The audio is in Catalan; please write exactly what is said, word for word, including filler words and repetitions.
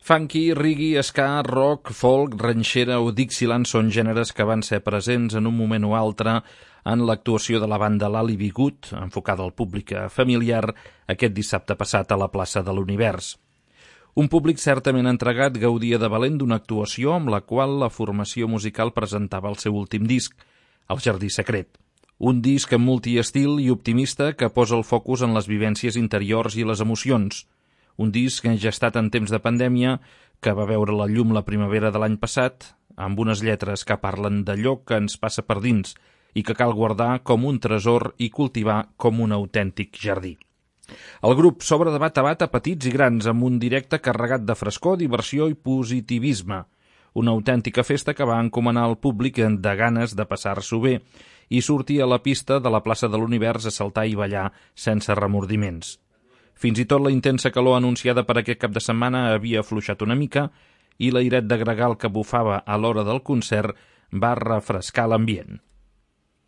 Funky, reggae, ska, rock, folk, ranxera o Dixieland són gèneres que van ser presents en un moment o altre en l'actuació de la banda Lally Be Good, enfocada al públic familiar, aquest dissabte passat a la plaça de l'Univers. Un públic certament entregat gaudia de valent d'una actuació amb la qual la formació musical presentava el seu últim disc, El Jardí Secret. Un disc amb multiestil i optimista que posa el focus en les vivències interiors i les emocions. Un disc gestat en temps de pandèmia que va veure la llum la primavera de l'any passat, amb unes lletres que parlen d'allò que ens passa per dins i que cal guardar com un tresor i cultivar com un autèntic jardí. El grup s'obre de bat a bat a petits i grans amb un directe carregat de frescor, diversió i positivisme. Una autèntica festa que va encomanar al públic de ganes de passar-s'ho bé i sortir a la pista de la plaça de l'Univers a saltar i ballar sense remordiments. Fins i tot la intensa calor anunciada per aquest cap de setmana havia afluixat una mica i l'airet de gregal que bufava a l'hora del concert va refrescar l'ambient.